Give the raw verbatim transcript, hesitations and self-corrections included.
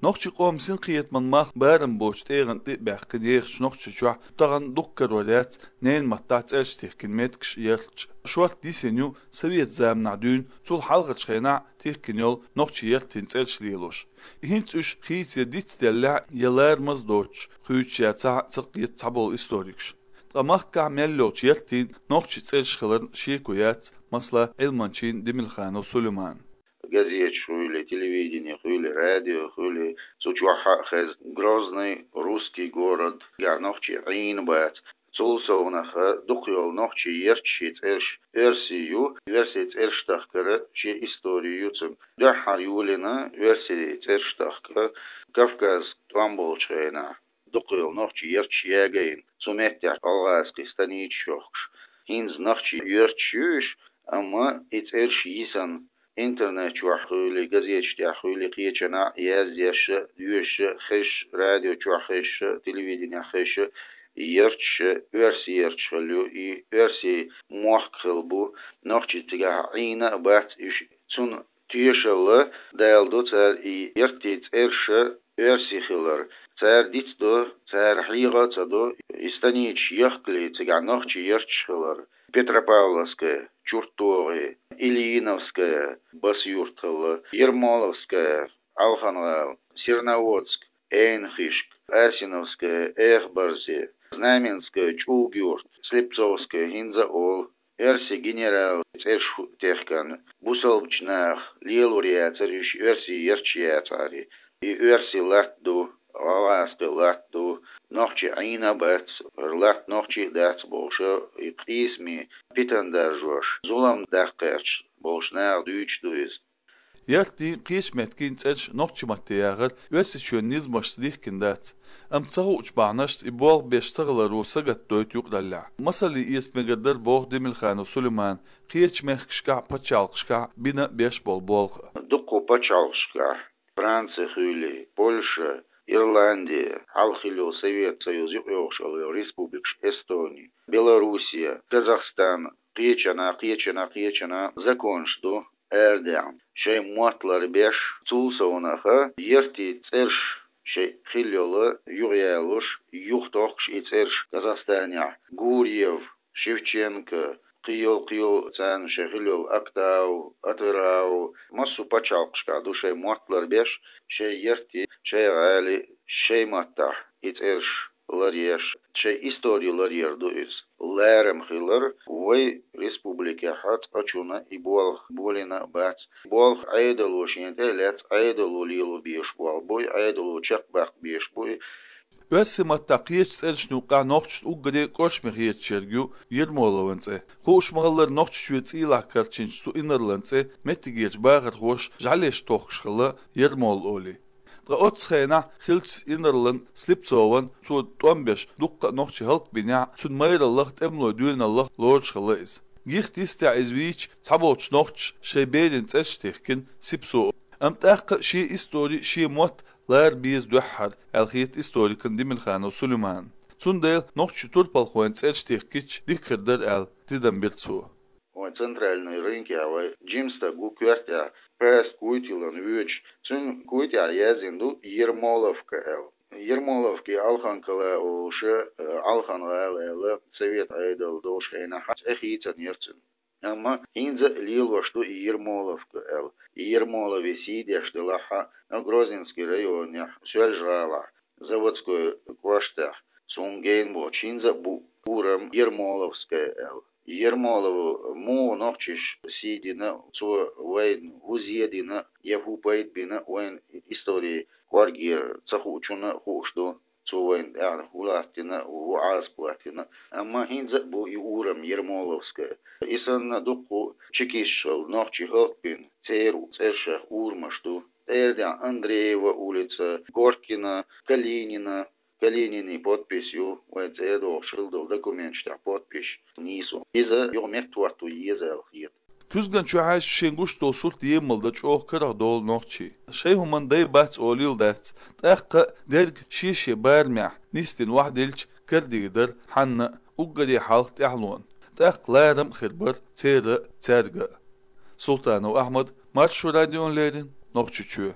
Нохчийн къоман синкхетаман мах барам боцу тӀегӀан тӀе а баьккхина ехачу Нохчийчохь тахана дукха карор яц ненан маттахь цӀераш тихкина меттигаш ярташ. Шорта йисина ю совет заманахь дуьйна, цул хьалхарчу хенахь тихкина йолу нохчийн яртийн цӀераш лелош. ХӀинца уьш хийцаде дицделлехь а, я ларамаза доцуш, хуьйцуш яцахь а, ца кхета цхьаболу историкаш. Ткъа махкахь мел йолчу яртийн нохчийн цӀераш хиларна шеко яц, масала, Ӏилманчин Демилханов Сулейман. Газеташ хуьлий, телевидени хуьлий, радио хуьлий, цу чохь а хеза: «Грозный — русский город», я «Нохчийн Ӏийна бац». Цул совнаха дукха йолу нохчийн ярташийн цӀераш оьрсийн ю, оьрсийн цӀераш тахкара шен истори ю цуьнан. Дуьххьара йолийна оьрсийн цӀераш тахка Кавказ тӀом болчу хенахь. Дукха йолу нохчийн ярташ ягийна, цу меттехь гӀалгӀазкхийн станицаш йохкуш. ХӀинца нохчийн ярташ ю уьш, амма и цӀераш йисина, интернет чохь хуьлий, газеташ тӀехь хуьлий, кхечанхьа яздеш а, доьшуш а, хезаш а, радио чохь хезаш а, телевиденехь хезаш а, ярташ оьрсийн ярташ хилла ю, и оьрсийн мохк хилла бу, нохчий цигахь Ӏийна а бац уьш. Цунна тешалла даладо цара и яртийн цӀераш оьрсийн хилар. Цара дицдо, цара хьехо а ца до, и станицаш яхкале цигахь нохчийн ярташ хилар: Петропавловская, ЧурттогӀи, Ильиновская, Басса-Юрт хилла, Ермоловская, Ӏалхан-ГӀала, Серноводск, Эйнхишк, Асиновская, Эхбарзи, Знаменская, ЧӀуг-Юрт, Слепцовская, хӀинца а олу. Оьрсийн генералан цӀераш ху-, техкан бусалбачу наха лелор яцара уьш, оьрсийн ярташ яцахьара. И оьрсийн латта ду, гӀалгӀазкхийн латта ду, нохчий Ӏийна а бац, хӀара латта нохчийн а дац бохуш, и къийсамийн питана даржош, зулам даккха гӀерташ болчу наха дуьйцуш ду иза. Яртийн, кхечу меттигийн цӀераш нохчийн матте яхар Оьрсийчоьнан низамашца дихкина дац. Амма ца хуучу бахьанашца и болх беш ца хиларо сагатдойту юкъараллехь. Масаллин эца мегар дара, боху Демилханов Сулеймана, кхечу мехкашкахь а, пачхьалкхашкахь а бина беш болу болх а. Дуккха пачхьалкхашкахь, Франци хуьлий, Польша, Ирланди, хьалха хилла йолу Совет Союз юкъайогӀуш йолу республикаш, Эстони, Белоруссия, Казахстан, кхечанхьа, кхечанхьа, кхечанхьа законаш ду арадаьхна, шайн мотт ларбеш. Цул совнаха яртийн цӀераш шайн хилла йолу юхаялош, юхатохкуш и цӀераш Казахстанехь: Гурьев, Шевченко, кхийолу, кхийолу царна шайн хилла йолу Актау, Атырау, массо а пачхьалкхашкахь ду шайн мотт ларбеш, шайн яртийн, шайн гӀалин, шайн маттахь и цӀераш ларъеш, шайн истори ларъяр ду иза. Ларам хилар вай республикехь цкъачунна и болх болийна а бац. Болх Ӏедало шена тӀе а лаьцна, Ӏедало лело безаш болх бу и, Ӏедало чекхбаккха безаш бу и. Оьрсийн маттахь кхечу цӀерашна юккъехь нохчашна уггаре а кӀоршаме хеташ ерг ю Ермоловн цӀе. Хууш ма-хиллара, Нохчийчоь цӀийлахь карчийначу цу инарлан цӀе меттигерчу бахархоша жӀаьлеш тохкуш хилла Ермол олий. Ткъа оццу хенахь хиллачу инарлан Слепцован, цо тӀом беш дуккха а нохчий хӀаллакбинехь а, цуьнан майраллах, тӀемалойн доьналлах лоруш хилла иза. Гихта йистехь иза вийча, цхьаболчу нохчаша шайн берийн цӀераш тихкина Сипсо. Амма тӀаккха а шен истори, шен мотт лара беза дуьххьара, аьлла хета историкна Демилханов Сулейманна. Цундела нохчийн турпалхойн цӀераш тихкича дика хир дара аьлла, тидам бира цо. Вайн центральный рынкехь вай жима стаг ву коьртехь, паста куй тиллина воьдуш, цуьнан куй тӀехь яздина ду Ермоловка аьлла. Ермоловка, Ӏалхан-ГӀала олуш, э, Ӏалхан-ГӀала аьлла, совет Ӏедал долуш хенахь цӀе хийцинера цуьнан. Амма хӀинца а лелош ду и Ермоловка аьлла. И Ермоловн сий деш делахь а, Грозненский районехь, Соьлжа-ГӀалахь, Заводской кӀоштахь, суна гена боцуш, хӀинца а бу урам Ермоловская аьлла. Ермоловн муха нохчаша сий дина, цо вайна хӀун зе дина, я хӀун пайда бина, вайна историн кӀоргера ца хуучунна а хууш ду. Цо вайна тӀаьхьара хӀун латтийна, хӀун Ӏазап латтийна. Амма хӀинца а бу и урам Ермоловская. И санна дуккха чекисташ хилла нохчий хӀаллакбина, церан цӀерашах урамаш ду. Церан тӀехь Андреева улица, Горькина, Калинина, Калининан подпись ю, вайн цӀера догӀуш хилла долу документаш тӀехь подписаш нийсо. Иза юха меттахӀотто еза аьлла хета. Куьзган чохь а шен гуш долу сурт емал дан чӀогӀа карах долу нохчий. Шайн хӀуманна дай бац олийла дац, тӀаккха а дерг шен-шен барамехь нисдина охьадилча, карадийр дара хьанна а, уггаре хьалха тӀаьхьалонна. ТӀаккха ларам а хир бара церан а, цаьрга а. Султанов Ахьмад, Маршо радиона леррина, Нохчийчоь.